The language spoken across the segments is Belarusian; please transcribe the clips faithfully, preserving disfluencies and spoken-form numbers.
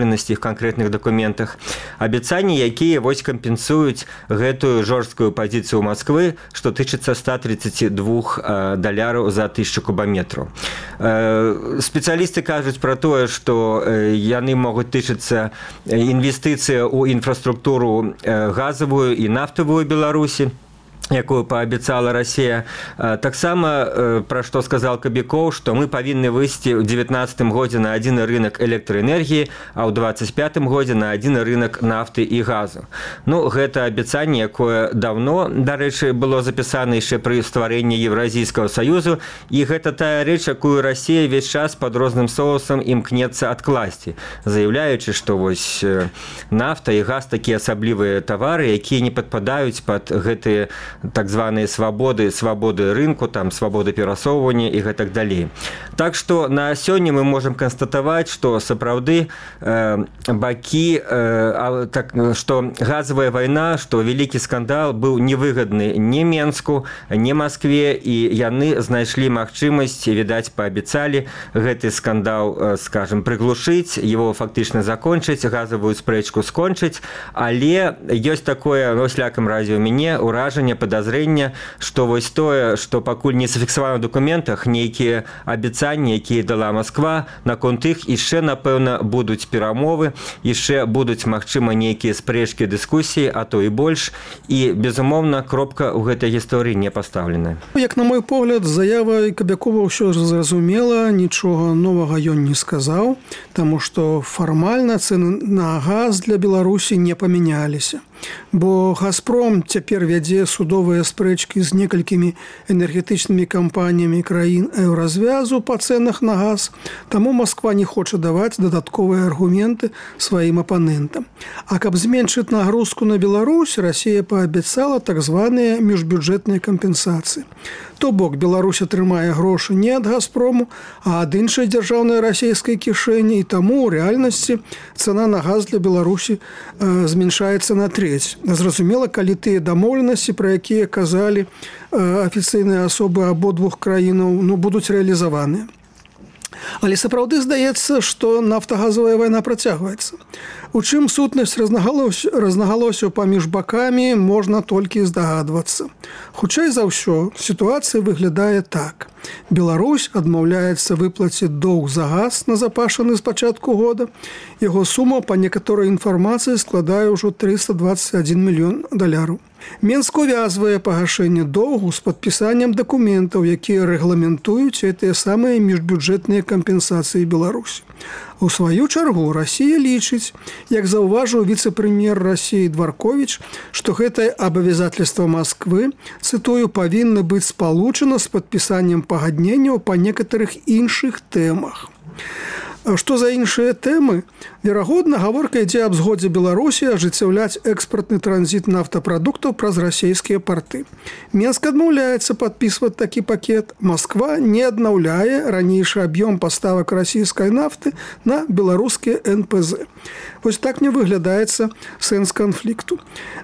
в канкрэтных дакументах, абяцанні, якія вось кампенсуюць гэтую жорсткую пазіцыю Москвы, што тычыцца ста тридцати двух даляраў за тысячу кубометраў. Спецыялісты кажуць пра тое, што яны могуць тычыцца інвестыцыі ў інфраструктуру газавую і нафтавую Беларусі, якую паабяцала Расія. Таксама, пра што сказал Кабікоў, што мы павінны выйсці ў девятнадцатым годзе на адзіны рынок электраэнергіі, а ў двадцать пятым годзе на адзіны рынок нафты і газу. Ну, гэта абяцанне, якое даўно, дарэчы, было запісана яшчэ пры стварэнні Еўразійскага саюзу, і гэта тая рэч, якую Расія ўвесь час пад розным соусам імкнецца адкласці, заяўляючы, што вось нафта і газ такія асаблівыя тавары, якія не падпадаюць пад гэтыя так званыя свабоды, свабоды рынку, там, свабоды перасоўвання і гэтак далей. Так што на сёння мы можам канстатаваць, што сапраўды э, бакі, э, так, што газавая вайна, што вялікі скандал быў невыгадны ні Менску, ні Маскве, і яны знайшлі магчымасць, відаць, паабяцалі гэты скандал, скажем, прыглушыць, его фактычна закончыць, газавую спрэчку скончыць, але ёсць такое, ну, слякам разе ў мяне, ўражанне, подозрение, что вось тое, што пакуль не зафіксавана ў дакументах, нейкія абяцанні, якія дала Москва, наконт іх яшчэ, напэўна, будуць перамовы, яшчэ будуць, магчыма, нейкія спрэчкі, дыскусіі, а то і больш, і, безумоўна, кропка ў гэтай гісторыі не пастаўленая. Як на мой погляд, заява Кабякова ўсё зразумела, нічога новага ён не сказаў, таму што фармальна цэны на газ для Беларусі не памяняліся. Бо «Газпром» цяпер вядзе судовыя спрэчкі з некалькімі энергетычнымі кампаніямі краін еўразвязу па цэнах на газ, таму Москва не хоча даваць дадатковыя аргументы сваім апанентам. А каб зменшыць нагрузку на Беларусь, Расія паабяцала так званыя міжбюджэтныя кампенсацыі. То бок Беларусь атрымае грошы не ад «Газпрому», а ад іншай дзяржаўнай расійскай кішэні, і таму ў рэальнасці цана на газ для Беларусі э, зменшаецца на трэць. Зразумела, калі тыя дамоўленасці, пра якія казалі э, афіцыйныя асобы абодвух краінаў, ну, будуць рэалізаваныя. Але сапраўды здаецца, што нафтагазавая вайна працягваецца. У чым сутнасць рознагалосяў паміж бакамі, можна толькі здагадвацца. Хутчэй за ўсё, сітуацыя выглядае так. Беларусь адмаўляецца выплаціць доўг за газ, назапашаны з пачатку года. Яго сума, па некаторай інфармацыі, складае ўжо трыста двадцать один мільён даляраў. Менск увязвае пагашэнне доўгу з падпісаннем дакументаў, якія рэгламентуюць гэтыя самыя міжбюджэтныя кампенсацыі Беларусі. У сваю чаргу Расія лічыць, як заўважыў віцэ-прэм'ер Расіі Дварковіч, што гэтае абавязательства Масквы, цытую, павінна быць спалучана з падпісаннем пагадненняў па некаторых іншых тэмах. Што за іншыя тэмы? Верагодна, гаворка ідзе аб згодзе Беларусі ажыццяўляць экспартны транзіт нафтапрадуктаў праз расійскія парты. Менск адмаўляецца падпісваць такі пакет. Москва не аднаўляе ранейшы аб'ём паставак расійскай нафты на беларускія эн пэ зэ. Вось так не выглядаецца сэнс канфлікту.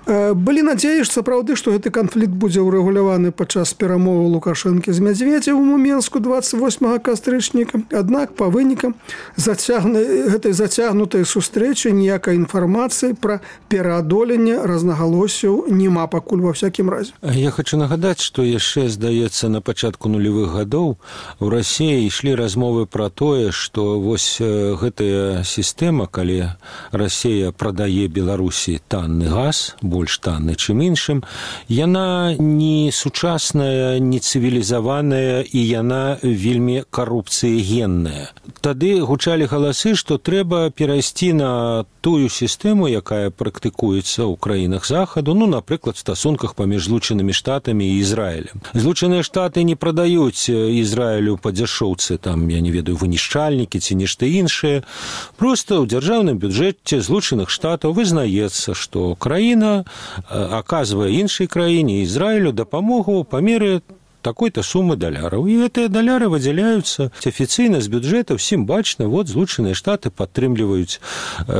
Былі надзеі, што сапраўды, што гэты канфлікт будзе ўрэгуляваны падчас перамоваў Лукашэнкі з Мядзведзевым у Менску двадцать восьмага кастрычніка. Аднак, па вынікам зацягны, гэтай зацягнутай сустрэчы ніякай інфармацыі пра пераадоленне рознагалосяў няма пакуль ва всякім разе. Я хочу нагадаць, што яшчэ, здаецца, на пачатку нулевых гадоў у Расіі ішлі размовы пра тое, што вось гэтая сістэма, калі Расія прадае Беларусі танны газ, больш танны, чым іншым, яна не сучасная, не цывілізаваная і яна вельмі карупцыягенная. Тады гучалі галасы, што трэба перайсці на тую сістэму, якая практыкуецца ў краінах Захаду, ну, напрыклад, в стасунках паміж Злучанымі Штатамі і Ізраілем. Злучаныя Штаты не прадаюць Ізраілю па дзяшоўцы, там, я не ведаю, вынішчальнікі ці нешта іншае. Проста ў дзяржаўным бюджэце Злучаных Штатаў вызнаецца, што краіна аказвае іншай краіне, Ізраілю, дапамогу па меры такой-то суммы даляраў. І гэтыя даляры выдзяляюцца афіцыйна з бюджэта, ўсім бачна, вот Злучаныя Штаты падтрымліваюць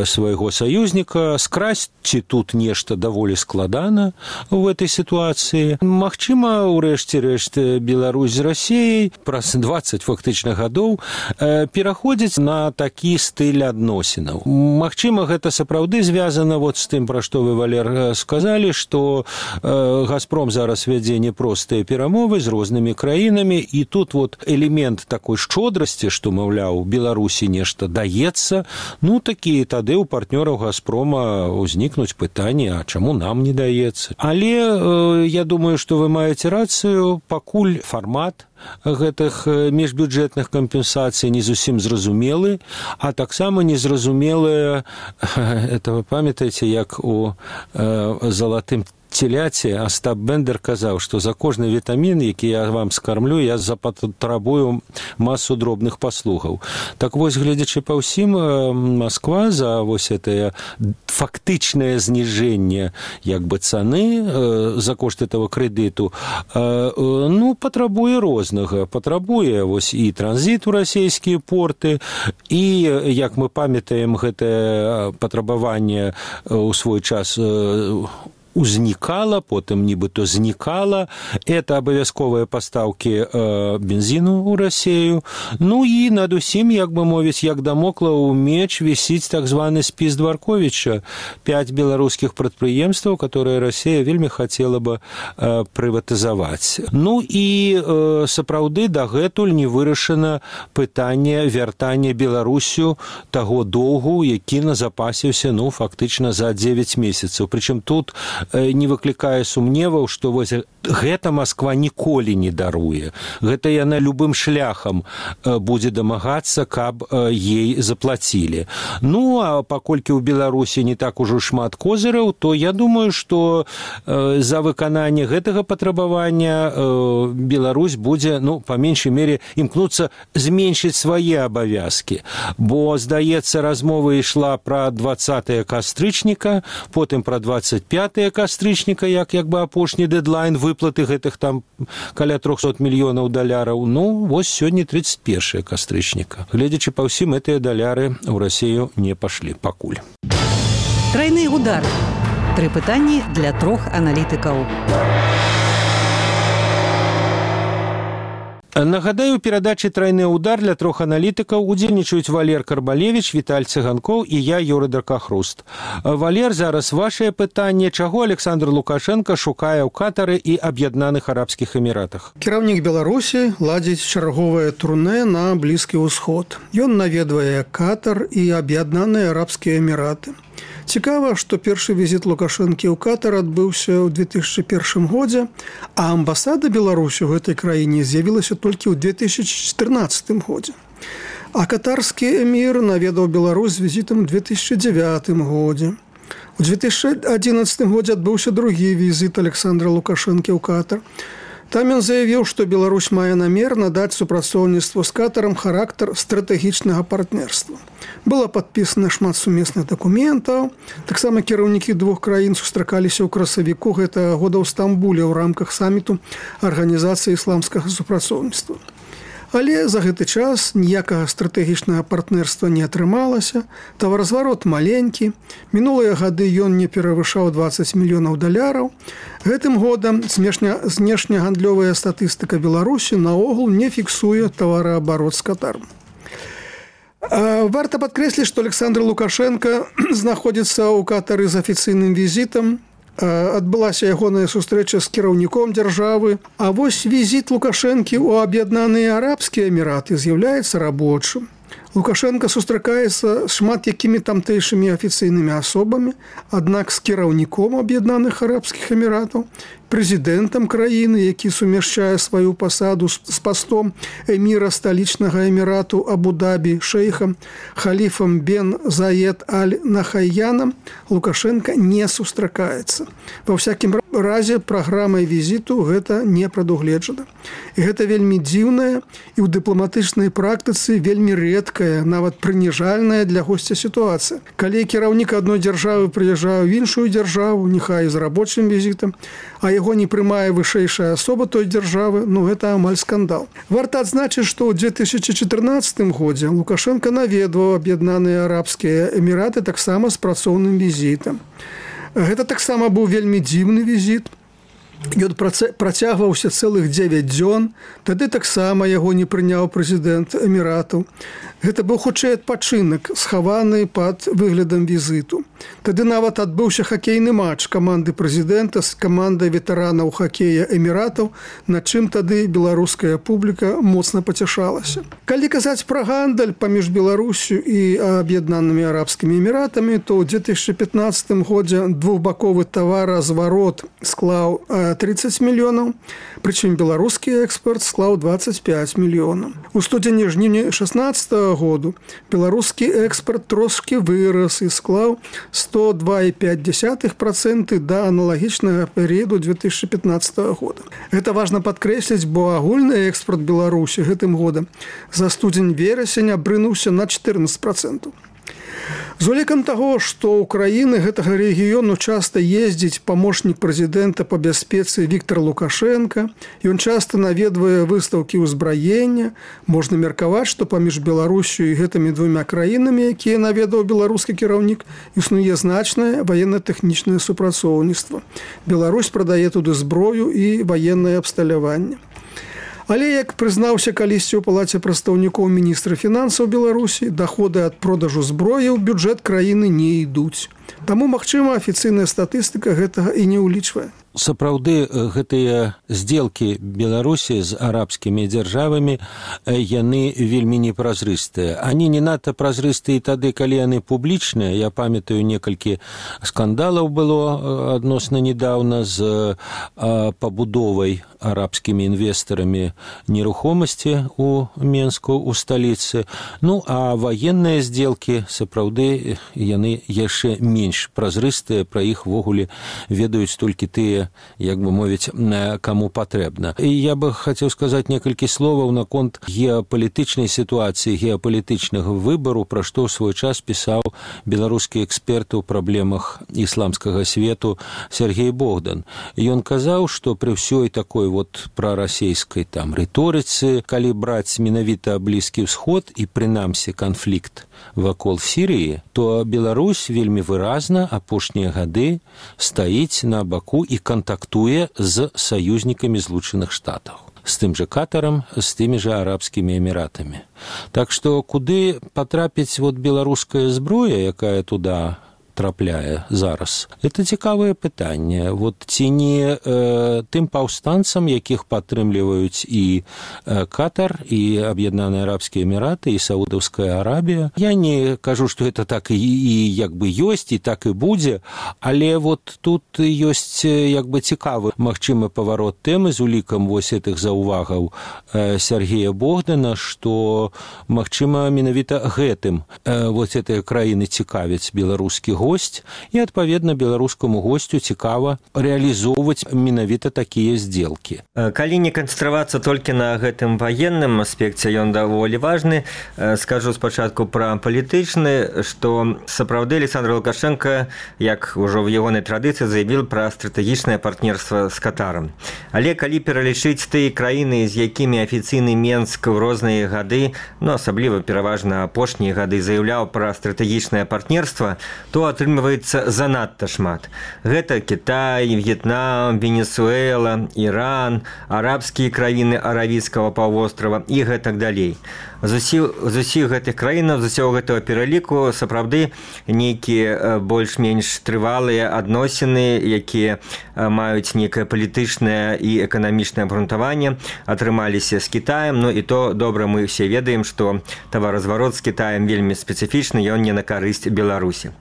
свайго саюзніка. Скрасці тут нешта даволі складана в этой сітуацыі. Магчыма, урэшце рэшт Беларусь з Расіяй праз дваццаць фактычна гадоў пераходзіць на такі стыль адносінаў. Магчыма, гэта сапраўды звязана вот з тым, пра што вы, Валер, сказалі, што «Газпром» зараз вядзе непростыя перамовы з рознымі краінамі, і тут вот элемент такой шчодрасці, што, маўляў, Беларусі нешта даецца, ну, такі тады ў партнёраў «Газпрома» узнікнуць пытанні, а чаму нам не даецца. Але я думаю, што вы маеце рацыю, пакуль фармат гэтых міжбюджэтных кампенсацый не зусім зразумелы, а таксама незразумелыя, это вы памятаеце, як у э, залатым теляце Астап Бендер казаў, што за кожны вітамін, які я вам скармлю, я запатрабую масу дробных паслугаў. Так вось, гледзячы па ўсім, Москва за вось гэтае фактычнае зніжэнне як бы цаны за кошт этого крэдыту, ну, патрабуе рознага. Патрабуе вось і транзіт у расійскія порты, і, як мы памятаем, гэтае патрабаванне ў свой час узнікала, потым нібыта знікала. Это абавязковыя пастаўкі э, бензіну ў Расію. Ну і над усім, як бы мовіць, як дамоклаў меч вісіць так званы спіс Дварковіча. Пяць беларускіх прадпрыемстваў, которые Расія вельмі хацела бы э, прыватызаваць. Ну і э, сапраўды дагэтуль не вырашана пытанне вяртання Беларусю таго доўгу, які назапасіўся, ну, фактычна за дзевяць месяцаў. Прычым тут не выклікае сумневаў, што вось гэта Москва ніколі не даруе. Гэта яна любым шляхам будзе дамагацца, каб ей заплацілі. Ну, а паколькі ў Беларусі не так ужо шмат козыраў, то я думаю, што за выкананне гэтага патрабавання Беларусь будзе, ну, па меншай мере, імкнуцца зменшыць свае абавязкі. Бо, здаецца, размова ішла пра дваццатае кастрычніка, потым пра дваццаць пятае кастрычніка, як як бы апошні дэдлайн выплаты гэтых там каля трохсот мільёнаў даляраў. Ну, вось сёння тридцать первое кастрычніка. Гледзячы па ўсім, гэтыя даляры ў Расію не пашлі пакуль. Трайны удар. Тры пытанні для трох аналітыкаў. Нагадаю, у перадачы «Трайны удар» для трох аналітыкаў удзельнічаюць Валер Карбалевіч, Віталь Цыганкоў і я, Юрый Дракахруст. Валер, зараз вашае пытанне. Чаго Александр Лукашенко шукае ў Катары і Аб'яднаных Арабскіх Эміратах? Кіраўнік Беларусі ладзіць чарговае турнэ на Блізкі ўсход. Ён наведвае Катар і Аб'яднаныя Арабскія Эміраты. Цікава, што першы візіт Лукашэнкі ў Катар адбыўся ў две тысячы першым годзе, а амбасада Беларусі ў гэтай краіне з'явілася толькі ў две тысячи чатырнаццатым годзе. А катарскі эмір наведаў Беларусь з візітам у две тысячи дзевятым годзе. У две тысячи адзінаццатым годзе адбыўся другі візіт Александра Лукашэнкі ў Катар. Там ён заявіў, што Беларусь мае намер надаць супрацоўніцтву з Катарам характар стратэгічнага партнерства. Было падпісана шмат сумесных дакументаў. Таксама кіраўнікі двух краін сустракаліся ў красавіку гэтага года ў Стамбуле ў рамках саміту Арганізацыі ісламскага супрацоўніцтва. Але за гэты час ніякага стратэгічнага партнерства не атрымалася, таваразварот маленькі, мінулыя гады ён не перавышаў дваццаць мільёнаў даляраў. Гэтым годам знешнегандлёвая статыстыка Беларусі наогул не фіксуе тавараабарот з Катаром. Варта падкрэсліць, што Александр Лукашенко знаходзіцца ў Катары з афіцыйным візітам. Адбылася ягоная сустрэча з кіраўніком дзяржавы. А вось візіт Лукашэнкі ў Аб'яднаныя Арабскія Эміраты з'яўляецца рабочым. Лукашенко сустракаецца з шмат якімі тамтэйшымі афіцыйнымі асобамі, аднак з кіраўніком Аб'яднаных Арабскіх Эміратаў, прэзідэнтам краіны, які сумяшчае сваю пасаду з пастом эміра сталічнага эмірату Абу-Дабі, шэйхам Халіфам бен Заед аль-Нахайянам, Лукашенко не сустракаецца. Ва ўсякім разе праграмай візіту гэта не прадугледжана. І гэта вельмі дзіўная і ў дыпламатычнай практыцы вельмі рэдкая нізкая, нават прыніжальная для госця сітуацыя. Калі кіраўнік адной дзяржавы прыязджае ў іншую дзяржаву, няхай з рабочым візітам, а яго не прымае вышэйшая асоба той дзяржавы, ну гэта амаль скандал. Варта адзначыць, што ў две тысячы чатырнаццатым годзе Лукашенко наведваў Аб'яднаныя Арабскія Эміраты таксама з працоўным візітам. Гэта таксама быў вельмі дзіўны візіт. Ён працягваўся цэлых дзевяць дзён, тады таксама яго не прыняў прэзідэнт Эміратаў. Гэта быў хутчэй адпачынак, схаваны пад выглядам візіту. Тады нават адбыўся хакейны матч каманды прэзідэнта з камандай ветэранаў хакея Эміратаў, над чым тады беларуская публіка моцна пацяшалася. Калі казаць пра гандаль паміж Беларусю і Аб'яднанымі Арабскімі Эміратамі, то ў две тысячы пятнаццатым годзе двухбаковы таваразварот склаў тридцать мільёнаў, прычым беларускі экспорт склаў двадцать пять мільёнаў. У студзені-жніўні шаснаццатага году беларускі экспорт трошкі вырас і склаў сто два і пяць дзесятых працэнта да аналагічнага перыяду две тысячи пятнаццатага года. Гэта важна падкрэсліць, бо агульны экспорт Беларусі гэтым годам за студзень-верасень абрынуўся на чатырнаццаць працэнтаў. З улікам таго, што ў краіны гэтага рэгіёну часта ездзіць памочнік прэзідэнта па бяспецы Віктор Лукашенко, ён часта наведвае выстаўкі ўзбраення, можна меркаваць, што паміж Беларусю і гэтымі двумя краінамі, якія наведаў беларускі кіраўнік, існуе значнае ваенна-тэхнічнае супрацоўніцтва. Беларусь прадае туды зброю і ваеннае абсталяванне. Але, як прызнаўся калісьці ў палаце прадстаўнікоў міністра фінансаў Беларусі, даходы ад продажу зброі ў бюджэт краіны не ідуць. Таму, магчыма, афіцыйная статыстыка гэтага і не ўлічвае. Сапраўды гэтыя здзелкі Беларусі з арабскімі дзяржавамі яны вельмі непразрыстыя. Они не надта празрыстыя тады, калі яны публічныя. Я памятаю, некалькі скандалаў было адносна недавно з пабудовай арабскімі інвестарамі нерухомасці у Менску, у сталіцы. Ну, а ваенныя здзелкі сапраўды яны яшчэ менш празрыстыя, пра іх ввогуле ведаюць толькі тыя, як бы мовіць, каму патрэбна. І я бы хацеў сказаць некалькі словаў наконт геапалітычнай сітуацыі, геапалітычнага выбару, пра што ў свой час пісаў беларускі эксперт у праблемах ісламскага свету Сергей Богдан. Ён казаў, што пры ўсёй такой вот прарасейскай там рыторыцы, калі браць менавіта Блізкі ўсход і прынамсі канфлікт вакол Сірыі, то Беларусь вельмі выразна апошнія гады стаіць на баку і контактуе з саюзнікамі Злучаных Штатаў, з тым жа Катарам, з тымі жа Арабскімі Эміратамі. Так што куды патрапіць вот беларуская зброя, якая туда трапляе зараз? Это цікавае пытанне. Вот ці не э, тым паўстанцам, якіх падтрымліваюць і э, Катар, і Аб'яднаныя Арабскія Эміраты, і Саудаўская Арабія. Я не кажу, што это так і, і як бы ёсць, і так і будзе, але вот тут ёсць як бы цікавы магчымы паварот тэмы з улікам вось гэтых заўвагаў э, Сергея Богдана, што магчыма менавіта гэтым э, вот гэтыя краіны цікавяць беларускі госць, і, адпаведна, беларускаму госцю цікава рэалізоўваць менавіта такія здзелкі. Калі не канцэнтравацца толькі на гэтым ваенным аспекце, ён даволі важны. Скажу спачатку пра палітычны, што сапраўды Александр Лукашенко, як ужо в ягонай традыцыі, заявіў пра стратэгічнае партнерства з Катарам. Але калі пералічыць тыя краіны, з якімі афіцыйны Менск у розныя гады, ну, асабліва пераважна апошнія гады, заяўляў пра стратэгічнае партнерства, то атрымліваецца занадта шмат. Гэта Кітай, В'етнам, Венесуэла, Іран, арабскія краіны Аравійскага паўвострава і гэтак далей. З усіх гэтых краінаў, з усяго гэтага пераліку сапраўды нейкія больш-менш трывалыя адносіны, якія маюць нейкае палітычнае і эканамічнае абгрунтаванне, атрымаліся з Кітаем. Ну і то добра мы ўсе ведаем, што таваразварот з Кітаем вельмі спецыфічны, ён не на карысць Беларусі.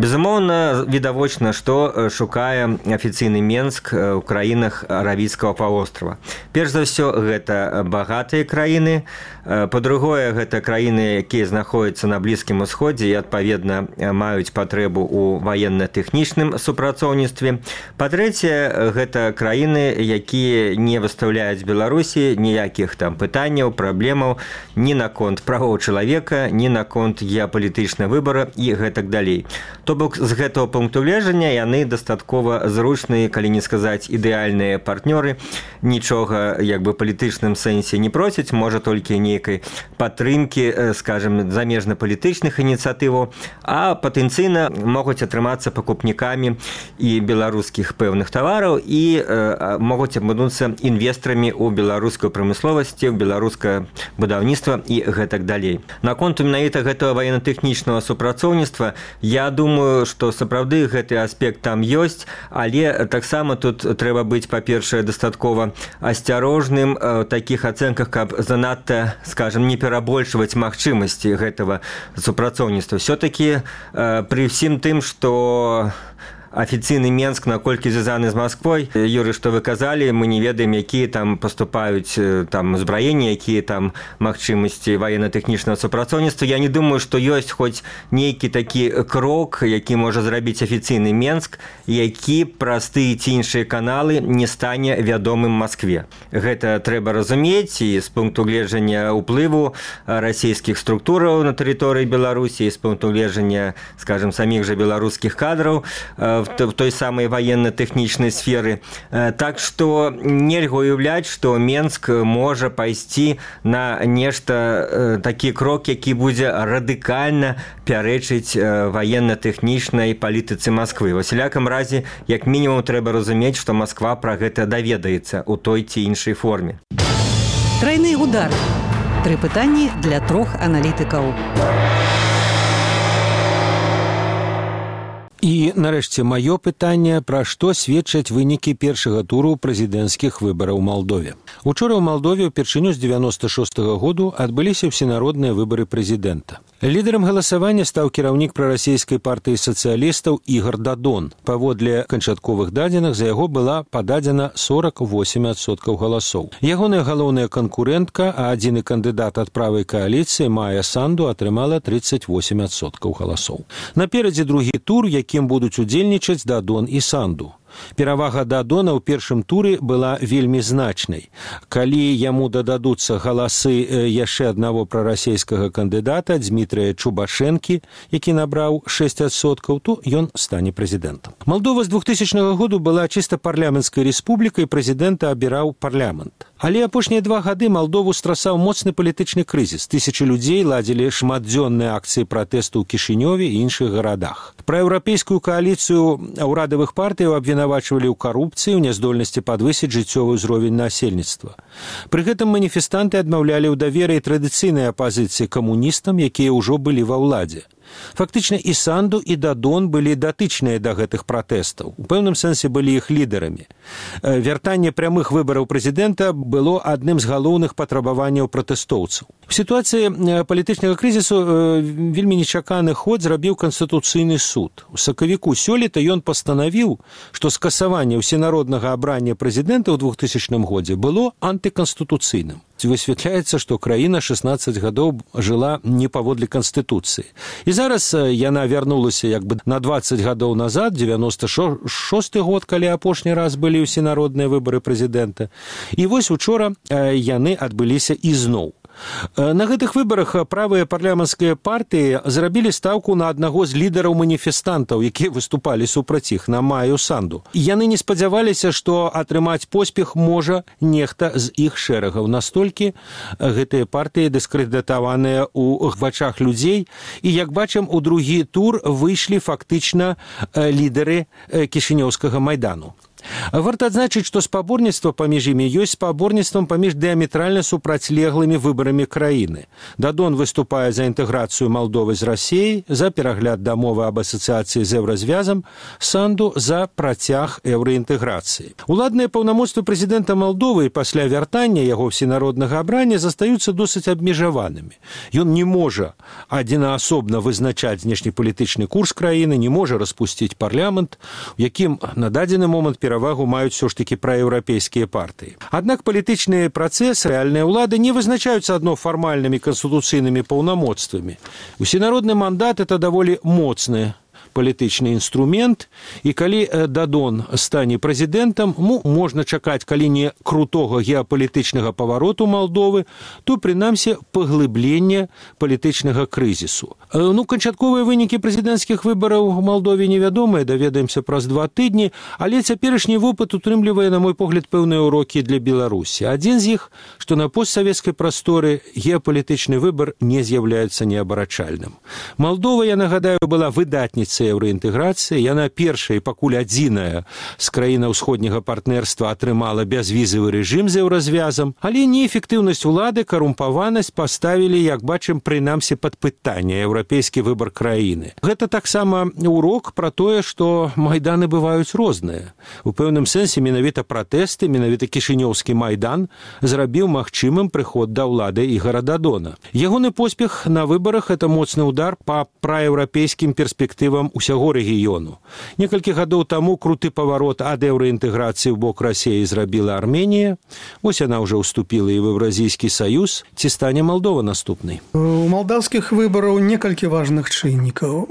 Безумоўна, відавочна, што шукае афіцыйны Менск ў краінах Аравійскага паўвострава. Перш за ўсё, гэта багатыя краіны, па-другое, гэта краіны, якія знаходзяцца на Блізкім Усходзе і, адпаведна, маюць патрэбу ў ваенна-тэхнічным супрацоўніцтве. Па-трэцяе, гэта краіны, якія не выстаўляюць Беларусі ніякіх там пытанняў, праблемаў ні наконт правоў чалавека, ні наконт геапалітычнага выбара і гэтак далей. То бок, з гэтага пункту гледжання яны дастаткова зручныя, калі не сказаць ідэальныя партнёры, нічога як бы палітычным сэнсе не просяць, можа толькі нейкай падтрымкі, скажем, замежна-палітычных ініцыятываў, а патэнцыйна могуць атрымацца пакупнікамі і беларускіх пэўных тавараў і э, могуць абмануцца інвестарамі ў беларускую прамысловасці, ў беларускае будаўніцтва і гэтак далей. Наконт менавіта гэтага ваенна-тэхнічнага супрацоўніцтва, я думаю, што сапраўды гэты аспект там ёсць, але таксама тут трэба быць, па-першае, дастаткова асцярожным ў такіх ацэнках, каб занадта, скажем, не перабольшваць магчымасці гэтага супрацоўніцтва. Все-таки пры ўсім тым, што афіцыйны Менск наколькі звязаны з Масквой, Юрый, што вы казалі, мы не ведаем, якія там паступаюць там узбраенні, якія там магчымасці ваенна-тэхнічнага супрацоўніцтва. Я не думаю, што ёсць хоць нейкі такі крок, які можа зрабіць афіцыйны Менск, які праз тыя ці іншыя каналы не стане вядомым Маскве. Гэта трэба разумець і з пункту гледжання ўплыву расійскіх структураў на тэрыторыі Беларусі, і з пункту гледжання, скажем, саміх жа беларускіх кадраў в той самой военно-тэхнічнай сферы. Так што нельга уяўляць, што Менск можа пайсці на нешта, такі крок, які будзе радыкальна пярэчыць военно-тэхнічнай палітыцы Масквы. Ва ўсялякам разе, як мінімум, трэба разумець, што Масква пра гэта даведаецца ў той ці іншай форме. Трайны удар. Тры пытанні для трох аналітыкаў. І, нарэшце, маё пытанне, пра што сведчаць вынікі першага туру прэзідэнцкіх выбараў у Малдове. Учора ў Малдове ўпершыню з дзевяноста шостага году адбыліся ўсенародныя выбары прэзідэнта. Лідарам галасавання стаў кіраўнік прарасійскай партыі сацыялістаў Ігар Дадон. Паводле канчатковых дадзеных за яго была пададзена сорок восемь адсоткаў галасоў. Ягоная галоўная канкурэнтка, а адзіны кандыдат ад правай кааліцыі Майя Санду атрымала тридцать восемь адсоткаў галасоў. Наперадзе другі тур, якім будуць удзельнічаць Дадон і Санду. Перавага Дадона ў першым туры была вельмі значнай. Калі яму дададуцца галасы яшчэ аднаго прарасійскага кандыдата Дмітрыя Чубашэнкі, які набраў шэсць адсоткаў, то ён стане прэзідэнтам. Малдова з двухтысячнага году была чыста парламенцкай рэспублікай, прэзідэнта абіраў парламент. Але апошнія два гады Малдову страсаў моцны палітычны крызіс. Тысячы людзей ладзілі шматдзённыя акцыі пратэсту ў Кішынёве і іншых гарадах. Праеўрапейскую кааліцыю ўрадавых партыяў абвінавачвалі ў карупцыі, ў няздольнасці падвысіць жыццёвы ўзровень насельніцтва. Пры гэтым маніфестанты адмаўлялі ў даверы традыцыйнай апазіцыі камуністам, якія ўжо былі ва ўладзе. Фактычна і Санду, і Дадон былі датычныя да гэтых пратэстаў. У пэўным сэнсе былі іх лідарамі. Вяртанне прямых выбараў прэзідэнта было адным з галоўных патрабаванняў пратэстоўцаў. У сітуацыі палітычнага крызісу вельмі нечаканы ход зрабіў Канстытуцыйны суд. У сакавіку сёлета ён пастанавіў, што скасаванне ўсенароднага абрання прэзідэнта ў двухтысячным годзе было антыканстытуцыйным. Высвятляецца, што краіна шестнадцать гадоў жыла не паводле Канстытуцыі. І зараз яна вярнулася як бы на двадцать гадоў назад, дзевяноста шосты год, калі апошні раз былі ўсенародныя выбары прэзідэнта. І вось учора яны адбыліся ізноў. На гэтых выбарах правыя парламенцкія партыі зрабілі стаўку на аднаго з лідараў маніфестантаў, якія выступалі супраць іх, на Майю Санду. Яны не спадзяваліся, што атрымаць поспех можа нехта з іх шэрагаў. Настолькі гэтыя партыі дыскрэдытаваныя ў вачах людзей. І, як бачым, у другі тур выйшлі фактычна лідары Кішынёўскага майдану. Варта адзначыць, што спаборніцтва паміж імі ёсць спаборніцтвам паміж дыаметральна супрацьлеглымі выбарамі краіны. Дадон выступае за інтэграцыю Малдовы з Расіяй, за перагляд дамовы аб асацыяцыі з еўразвязам, Санду за працяг еўраінтэграцыі. Уладныя паўнамоцтвы прэзідэнта Малдовы пасля вяртання яго всенароднага абрання застаюцца досыць абмежаванымі. Ён не можа адзінаасобна вызначаць знешнепалітычны курс краіны, не можа распусціць парламент, у якім на дадзены момант перавагу маюць все ж таки праеўрапейскія партыі. Аднак палітычныя працэсы рэальныя ўлады не вызначаюцца адно фармальнымі канстытуцыйнымі паўнамоцтвамі. Усенародны мандат – это даволі моцны палітычны інструмент, і калі Дадон стане прэзідэнтам, ну, можна чакаць, калі не крутога геапалітычнага павароту Малдовы, то, прынамсі, паглыблення палітычнага крызісу. Ну, канчатковыя вынікі прэзідэнцкіх выбараў у Малдове невядомыя, даведаемся праз два тыдні, але цяперашні вопыт утрымлівае, на мой погляд, пэўныя урокі для Беларусі. Адзін з іх, што на постсавецкай прасторы геапалітычны выбар не з'яўляецца неабарачальным. Малдова, я нагадаю, была выдатніцай еўраінтэграцыі, яна першая і пакуль адзіная з краіна ўсходняга партнерства атрымала бязвізавы рэжым з еўразвязам, але неэфектыўнасць улады, карумпаванасць паставілі, як бачым, прынамсі пад пытанне еўрапейскі выбар краіны. Гэта таксама урок пра тое, што майданы бываюць розныя. У пэўным сэнсе менавіта пратэсты, менавіта кішынёўскі майдан зрабіў магчымым прыход да ўлады Ігора Дадона. Ягоны поспех на выбарах – это моцны удар па праеўрапейскім перспектывам усяго рэгіёну. Некалькі гадоў таму круты паварот ад еўраінтэграцыі ў бок Расіі зрабіла Арменія. Вось яна ўжо ўступіла і в Еўразійскі саюз. Ці стане Малдова наступнай? У малдаўскіх выбараў некалькі важных чыннікаў.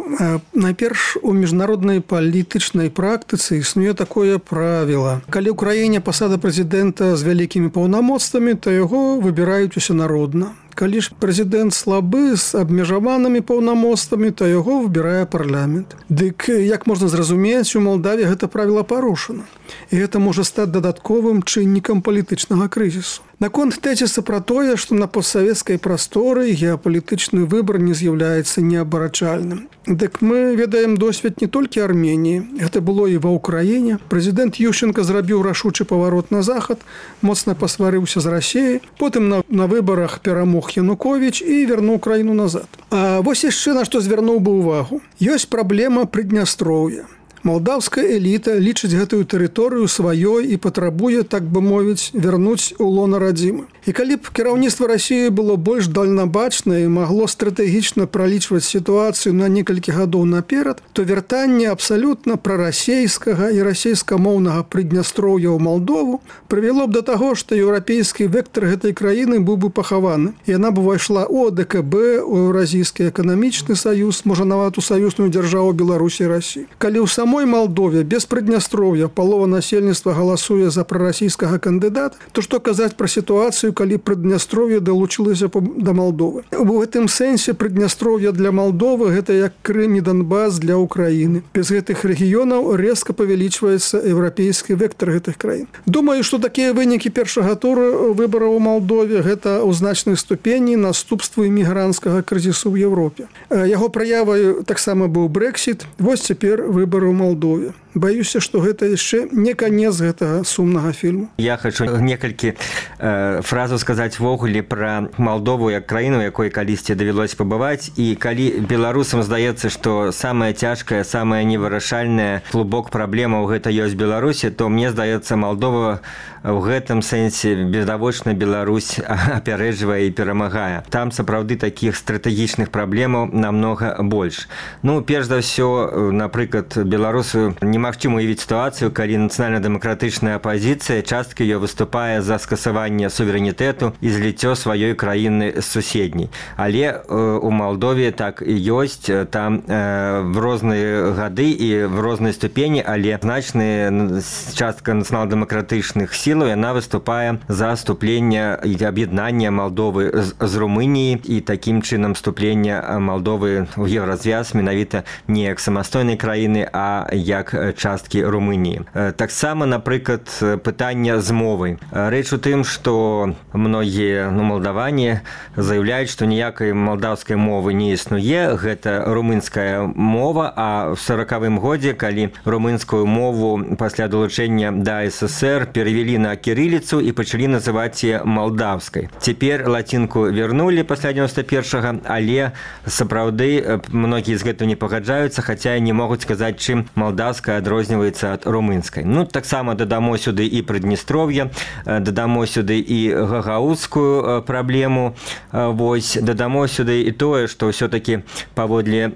Найперш, у міжнароднай палітычнай практыцы існуе такое правіла. Калі ў краіне пасада прэзідэнта з вялікімі паўнамоцтвамі, то яго выбіраюць усенародна. Калі ж прэзідэнт слабы з абмежаванымі паўнамоцтвамі, то яго выбірае парламент. Дык, як можна зразумець, у Малдаве гэта правіла парушана. І гэта можа стаць дадатковым чыннікам палітычнага крызісу. Наконт тэзіса пра тое, што на постсавецкай прасторы геапалітычны выбар не з'яўляецца неабарачальным. Дык мы ведаем досвед не толькі Арменіі. Гэта было і ва Ўкраіне. Прэзідэнт Ющенка зрабіў рашучы паварот на захад, моцна пасварыўся з Расіяй, потым на, на выбарах перамог Януковіч і вярнуў краіну назад. А вось яшчэ на што звярнуў бы ўвагу. Ёсць праблема Прыднястроўя. Малдаўская эліта лічыць гэтую тэрыторыю сваёй і патрабуе, так бы мовіць, вярнуць у лона радзімы. І калі б кіраўніцтва Расіі было больш дальнабачнае і магло стратэгічна пралічваць сітуацыю на некалькі гадоў наперад, то вяртанне абсалютна прарасейскага і расейскамоўнага Прыднястроўя ў Малдову прывяло б да таго, што еўрапейскі вектар гэтай краіны быў бы пахаваны. Яна б увайшла у А Дэ Ка Бэ, у Еўразійскі эканамічны саюз, можа нават у саюзную дзяржаву Беларусі і Расіі. Калі ў самой Малдове без Прыднястроўя палова насельніцтва галасуе за прарасійскага кандыдата, то што казаць пра сітуацыю, калі Прыднястроўе далучылася да Малдовы. У гэтым сэнсе Прыднястроўе для Малдовы гэта як Крым і Донбас для Украіны. Без гэтых рэгіёнаў рэзка павялічваецца еўрапейскі вектар гэтых краін. Думаю, што такія вынікі першага тура выбараў у Малдове гэта ў значнай ступені наступствы імігранцкага крызісу ў Еўропе. Яго праявай таксама быў Брэксіт. Вось цяпер выбары ў Малдове. Баюся, што гэта яшчэ не канец гэтага сумнага фільму. Я хочу некалькі э, фразаў сказаць ввогуле пра Малдову як краіну, якой калісьці давялося пабываць. І калі беларусам здаецца, што самая цяжкая, самая невырашальная клубок праблемаў гэта ёсць Беларусі, то мне здаецца, Малдова в гэтым сэнсе відавочна Беларусь апярэджвае і перамагае. Там сапраўды такіх стратэгічных праблемаў намнога больш. Ну, перш за ўсё, напрыклад, беларусу немагчыма уявіць сітуацыю, калі нацыянальна-дэмакратычная апазіцыя частка ее выступае за скасаванне суверэнітэту і зліццё сваёй краіны з суседняй. Але э, у Малдове так і ёсць, там э, в розныя гады і в рознай ступені, але значная частка нацыянальна-дэмакратычных сілаў яна выступае за вступлення і аб'яднання Малдовы з, з Румыніі і такім чынам вступлення Малдовы ў еўразвяз менавіта не як самастойнай краіны, а як часткі Румыніі. Таксама, напрыклад, пытання з мовай. Рэч у тым, што многія ну, малдаване заявляюць, што ніякай малдаўскай мовы не існуе. Гэта румынская мова, а в сорокавым годзе, калі румынскую мову пасля далучэння да СССР перавялі на кірыліцу і пачалі называць яе малдаўскай. Цяпер лацінку вярнулі пасля дзевяноста першага, але сапраўды многія з гэтым не пагаджаюцца, хаця не могуць сказаць, чым малдаўская адрозніваецца ад румынскай. Ну, таксама дадамо сюды і Прыднестров'е, дадамо сюды і гагаузскую праблему, вось, дадамо сюды і тое, што ўсё-такі паводле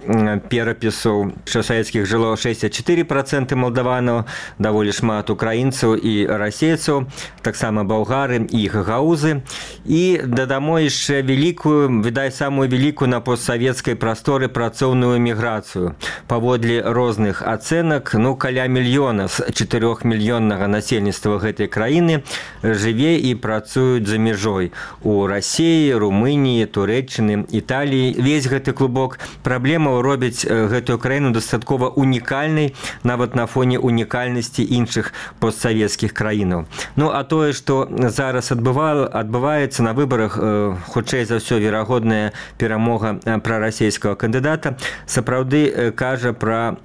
перапісу, што савецкіх жыло шэсцьдзесят чатыры працэнты малдаванаў, даволі шмат украінцаў і расейцаў, таксама болгары і гагаузы. І дадамо яшчэ вялікую, відаць, самую вялікую на постсавецкай прасторы працоўную міграцыю. Паводле розных ацэнак, ну, каля мільёна з чатырохмільённага насельніцтва гэтай краіны жыве і працуюць за мяжой у Расіі, Румыніі, Турэччыны, Італіі. Весь гэты клубок праблемаў робіць гэтую краіну дастаткова унікальнай, нават на фоне унікальнасці іншых постсавецкіх краінаў. Ну, а тое, што зараз адбыва... адбываецца на выбарах, э, хутчэй за ўсё, верагодная перамога прарасійскага кандыдата, сапраўды э, кажа пра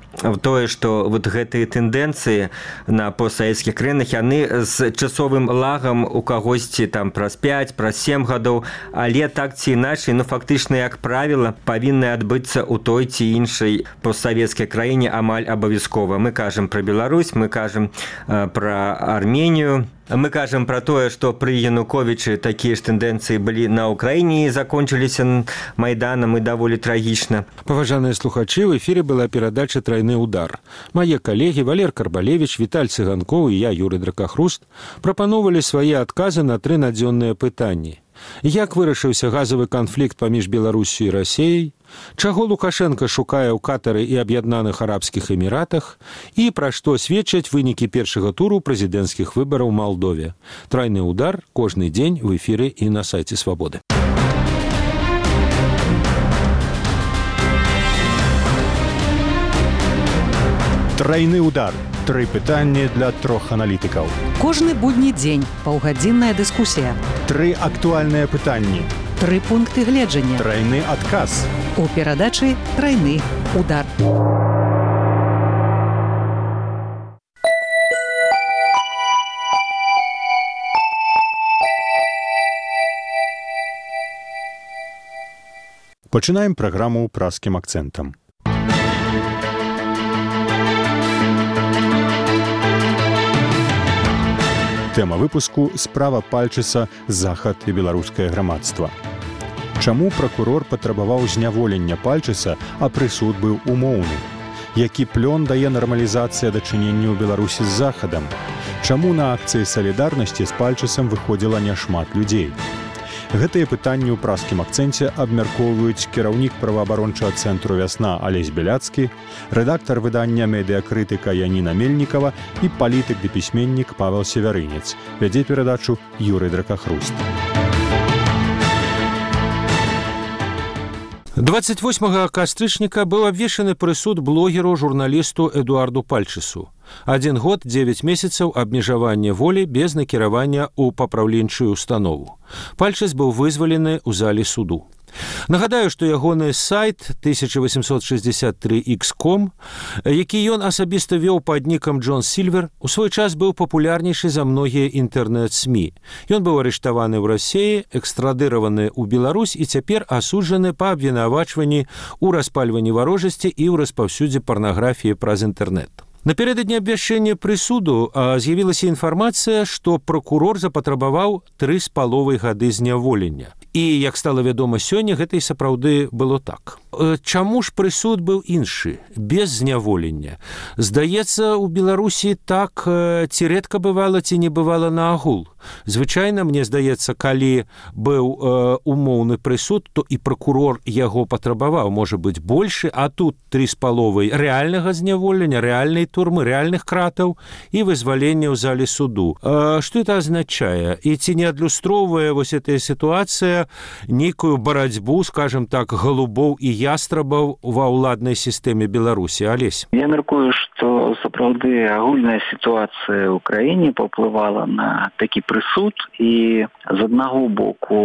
тое, што вот гэтыя тэндэнцыі на постсавецкіх краінах, яны з часовым лагам у кагосьці там праз пяць, праз сем гадоў, але так ці іначай, ну, фактычна, як правіла, павінны адбыцца ў той ці іншай постсавецкай краіне амаль абавязкова. Мы кажам пра Беларусь, мы кажам э, пра Арменію, мы кажам пра тое, што пры Януковічы такія ж тэндэнцыі былі на Ўкраіне і закончыліся Майданам і даволі трагічна. Паважаныя слухачы, в эфіры была перадача «Трайны удар». Мае калегі Валер Карбалевіч, Віталь Цыганкоў і я, Юрый Дракахруст, прапановалі свае адказы на тры надзённыя пытанні. Як вырашыўся газавы канфлікт паміж Беларусю і Расіяй? Чаго Лукашенко шукае ў Катары і Аб'яднаных Арабскіх Эміратах? І пра што сведчаць вынікі першага туру прэзідэнцкіх выбараў у Малдове? Трайны удар кожны дзень в эфіры і на сайце Свабоды. Трайны удар. Тры пытанні для трох аналітыкаў. Кожны будні дзень паўгадзінная дыскусія. Тры актуальныя пытанні. Тры пункты гледжання. Трайны адказ. У перадачы «Трайны удар». Пачынаем праграму празкім акцэнтам. Тэма выпуску «Справа Пальчыса. Захад і беларускае грамадства». Чаму пракурор патрабаваў зняволення Пальчыса, а прысуд быў умоўны? Які плён дае нармалізацыя дачынення ў Беларусі з Захадам? Чаму на акцыі салідарнасці з Пальчысам выходзіла няшмат людзей? Гэтыя пытанні ў празкім акцэнце абмяркоўваюць кіраўнік праваабарончага цэнтру «Вясна» Алесь Беляцкі, рэдактар выдання «Медыакрытыка» Яніна Мельнікава і палітык ды пісьменнік Павел Севярынец. Вядзе перадачу Юрый Дракахруст. дваццаць восьмага кастрычніка быў абвешчаны прысуд блогеру журналісту Эдуарду Пальчысу. Адзін год, дзевяць месяцаў абмежавання волі без накіравання ў папраўленчую установу. Пальчыс быў вызвалены ў зале суду. Нагадаю, што ягоны сайт тысяча восемьсот шестьдесят три икс ком, які ён асабіста вёў пад нікам Джон Сільвер, у свой час быў папулярнейшы за многія інтэрнэт-смі. Ён быў арыштаваны ў Расіі, экстрадыраваны ў Беларусь і цяпер асуджаны па абвінавачванні ў распальванні варожасці і ў распаўсюдзе парнаграфіі праз інтэрнэт. Напярэдадні абвяшчэння прысуду з'явілася інфармацыя, што пракурор запатрабаваў тры з паловай гады зняволення. І, як стала вядома сёння, гэта і сапраўды было так. Чаму ж прысуд быў іншы, без зняволення? Здаецца, у Беларусі так ці рэдка бывала, ці не бывала наагул. Звычайна, мне здаецца, калі быў э, умоўны прысуд, то і пракурор яго патрабаваў, можа быць, большы, а тут тры з паловай рэальнага зняволення, рэальнай турмы, рэальных кратаў і вызвалення ў зале суду. Э, што это азначае? І ці не адлюстроўвае вось эта сітуацыя за нейкую барацьбу, скажем так, голубоў і ястрабаў ва ўладнай сістэме Беларусі. Алесь? Я мяркую, што сапраўды агульная сітуацыя ў краіне паўплывала на такі прысуд, і з аднаго боку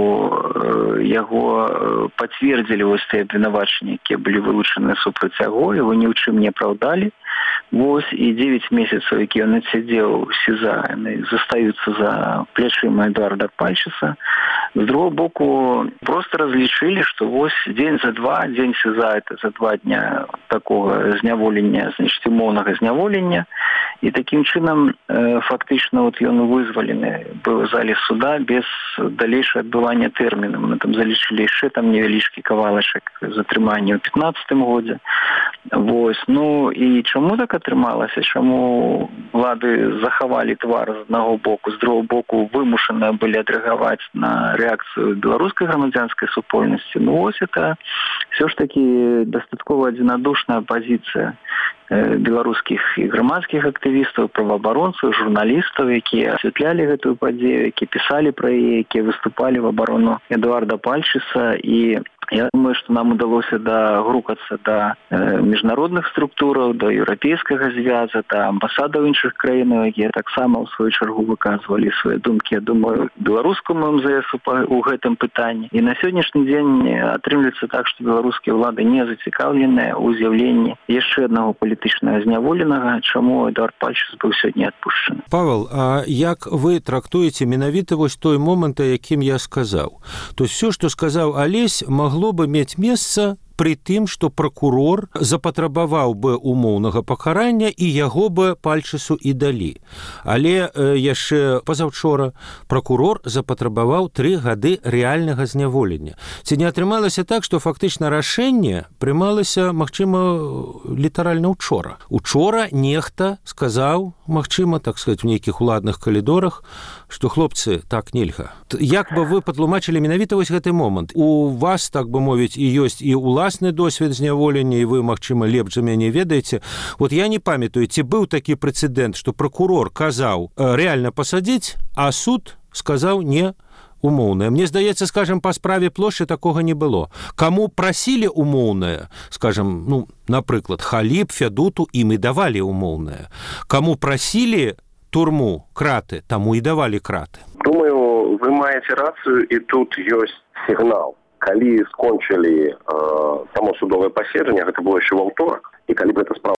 яго пацвердзілі вось тыя абвінавачанні, якія былі вылучаны супраць яго, его ні ў чым не апраўдалі. Вось, і дзевяць месяцаў, які ён адсядзеў у СІЗА, яны застаюцца за плячыма Эдуарда Пальчыса. З другого боку, просто разлічылі, што вось дзень за два, дзень СІЗА, это за два дня такого зняволення, значит, умоўнага зняволення, і такім чынам э, фактычна вот ён вызвалены быў у зале суда без далейшага адбывання тэрміна. Мы там залічылі яшчэ там невялічкі кавалачак затрымання ў пятнаццатым годзе. Вось, ну і чаму так атрымалася? Чаму улады захавалі твар з аднаго боку, з другого боку вымушаны былі адрэагаваць на рэакцыю беларускай грамадзянскай супольнасці? Ну вось это все ж таки дастаткова адзінадушная пазіцыя беларускіх і грамадскіх актывістаў, праваабаронцаў, журналістаў, якія асвятлялі гэтую падзею, якія пісалі пра яе, якія выступалі в абарону Эдуарда Пальчыса. І я думаю, што нам удалося дагрукацца да э, міжнародных структураў, да еўрапейскага звяза, да амбасадаў іншых краінаў, якія таксама ў сваю чаргу выказвалі свае думкі, я думаю, беларускаму эм зэ эс у гэтым пытанні. І на сённяшні дзень атрымліваецца так, што беларускія ўлады не зацікаўленыя ў з'яўленні яшчэ аднаго палітычнага зняволенага, чаму Эдуард Пальчыс быў сёння адпушчаны. Павел, а як вы трактуеце менавіта вось той момант, якім я сказаў? То есть все, што сказаў Алесь, магло могло бы мець месца пры тым, што пракурор запатрабаваў бы умоўнага пакарання і яго бы Пальчысу і далі. Але э, яшчэ пазаўчора пракурор запатрабаваў тры гады рэальнага зняволення. Ці не атрымалася так, што фактычна рашэнне прымалася, магчыма, літаральна учора. Учора нехта сказаў, магчыма, так сказаць, у нейкіх уладных калідорах, што хлопцы, так нельга. Як бы вы патлумачылі менавіта вось гэты момант? У вас, так бы мовіць, і ёсць і уласны досвед зняволення, і вы, магчыма, лепш за мяне ведаеце. Вот я не памятаю, ці быў такі прэцэдэнт, што пракурор казаў рэальна пасадзіць, а суд сказаў не умоўнае. Мне здаецца, скажем, па справе Плошчы такога не было. Каму прасілі умоўнае, скажем, ну, напрыклад, Халіб, Фядуту, ім і давалі умоўнае. Каму прасілі турму, краты, таму і давалі краты. Думаю, вы маеце рацыю, і тут ёсць сігнал. Калі скончылі э, само судовае паседжанне, гэта было яшчэ ва ўторак, і калі б эта справа